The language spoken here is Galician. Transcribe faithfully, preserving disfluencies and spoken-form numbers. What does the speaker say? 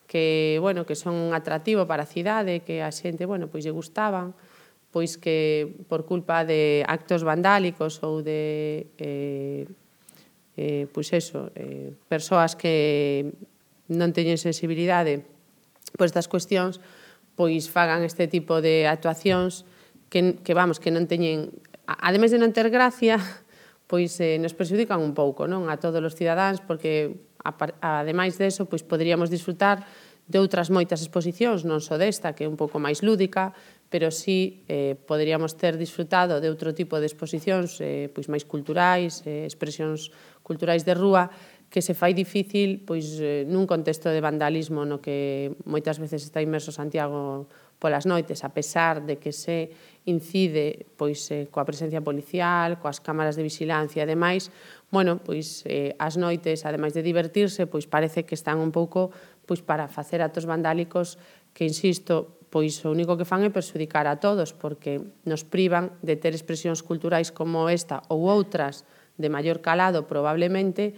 que, bueno, que son un atractivo para a cidade, que a xente, bueno, pois lle gustaban, pois que por culpa de actos vandálicos ou de, eh, eh, pois eso, eh, persoas que non teñen sensibilidade por estas cuestións, pois fagan este tipo de actuacións que, que vamos, que non teñen, ademais de non ter gracia, pois eh, nos perxudican un pouco, non, a todos os cidadáns, porque ademais deso, pois poderíamos disfrutar de outras moitas exposicións, non só desta, que é un pouco máis lúdica, pero sí eh, poderíamos ter disfrutado de outro tipo de exposicións eh, pois máis culturais, eh, expresións culturais de rúa, que se fai difícil pois eh, nun contexto de vandalismo no que moitas veces está inmerso Santiago polas noites, a pesar de que se incide pois eh, coa presencia policial, coas cámaras de vigilancia e demais, bueno, pois eh, as noites, ademais de divertirse, pois parece que están un pouco pois para facer actos vandálicos que, insisto, pois o único que fan é perxudicar a todos, porque nos privan de ter expresións culturais como esta ou outras de maior calado, probablemente,